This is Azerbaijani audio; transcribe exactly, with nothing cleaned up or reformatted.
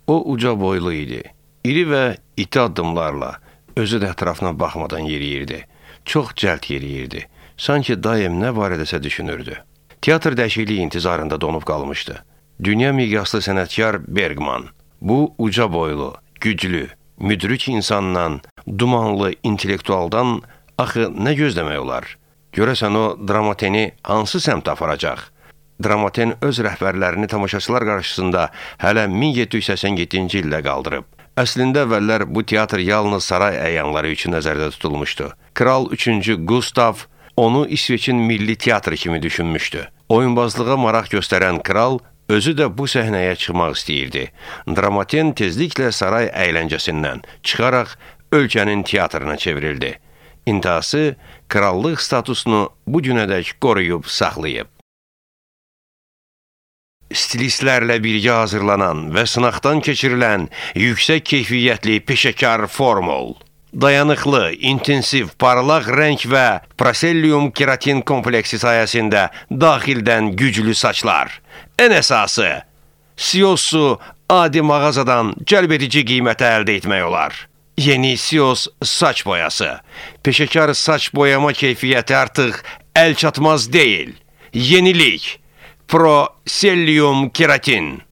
O uca boylu idi. İri və iti addımlarla özü də ətrafına baxmadan yeriyirdi. Çox cəld yeriyirdi. Sanki daim nə barədəsə düşünürdü. Teatr dəyişikliyi intizarında donub qalmışdı. Dünya miqyaslı sənətkar Bergman. Bu uca boylu, güclü, müdrik insandan, dumanlı intellektualdan axı nə gözləmək olar? Görəsən o Dramateni hansı səmtə aparacaq? Dramaten öz rəhbərlərini tamaşaçılar qarşısında hələ min yeddi yüz səksən yeddinci ildə qaldırıb. Əslində əvvəllər bu teatr yalnız saray əyanları üçün nəzərdə tutulmuşdu. Kral üçüncü Gustav onu İsveçin milli teatrı kimi düşünmüşdü. Oyunbazlığa maraq göstərən kral özü də bu səhnəyə çıxmaq istəyirdi. Dramaten tezliklə saray əyləncəsindən çıxaraq ölkənin teatrına çevrildi. İntihası krallıq statusunu bu günədək qoruyub saxlayıb. Stilistlərlə birgə hazırlanan və sınaqdan keçirilən yüksək keyfiyyətli peşəkar formul. Dayanıqlı, intensiv, parlaq rəng və proselyum keratin kompleksi sayəsində daxildən güclü saçlar. Ən əsası, Sios'u adi mağazadan cəlbedici qiymətə əldə etmək olar. Yeni Sios saç boyası. Peşəkar saç boyama keyfiyyəti artıq əl çatmaz deyil. Yenilik. Proselyum keratin.